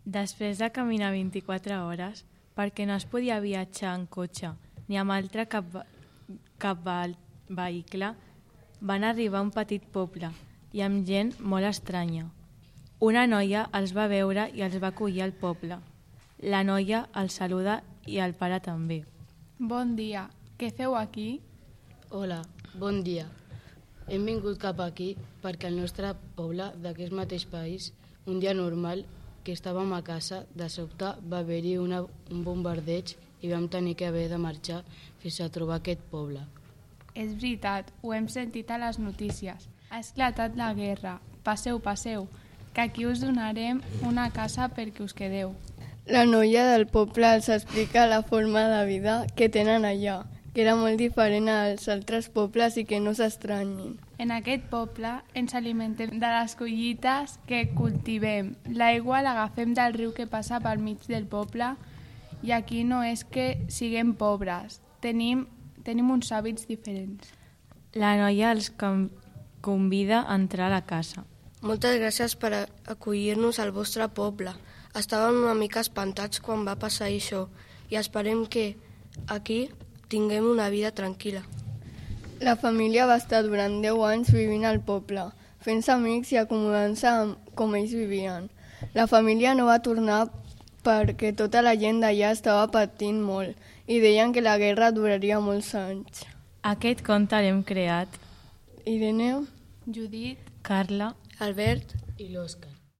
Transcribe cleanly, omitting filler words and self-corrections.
Després de caminar 24 hores, perquè no es podia viatjar en cotxe ni amb altre cap vehicle, van arribar a un petit poble i amb gent molt estranya. Una noia els va veure i els va acollir al poble. La noia els saluda i el pare també. Bon dia, què feu aquí? Hola, bon dia. Hem vingut cap aquí perquè al nostre poble d'aquest mateix país, un dia normal, que estàvem a casa, de sobte va haver-hi un bombardeig i vam tenir que haver de marxar fins a trobar aquest poble. És veritat, ho hem sentit a les notícies. Ha esclatat la guerra. Passeu, que aquí us donarem una casa perquè us quedeu. La noia del poble els explica la forma de vida que tenen allà, que era molt diferent als altres pobles i que no s'estranyin. En aquest poble ens alimentem de les collites que cultivem. L'aigua l'agafem del riu que passa pel mig del poble i aquí no és que siguem pobres, tenim uns hàbits diferents. La noia els convida a entrar a la casa. Moltes gràcies per acollir-nos al vostre poble. Estàvem una mica espantats quan va passar això i esperem que aquí tinguem una vida tranquil·la. La família va estar durant 10 anys vivint al poble, fent-se amics i acomodant-se com ells vivien. La família no va tornar perquè tota la gent d'allà estava patint molt i deien que la guerra duraria molts anys. Aquest conte l'hem creat Irene, Judit, Carla, Albert I l'Òscar.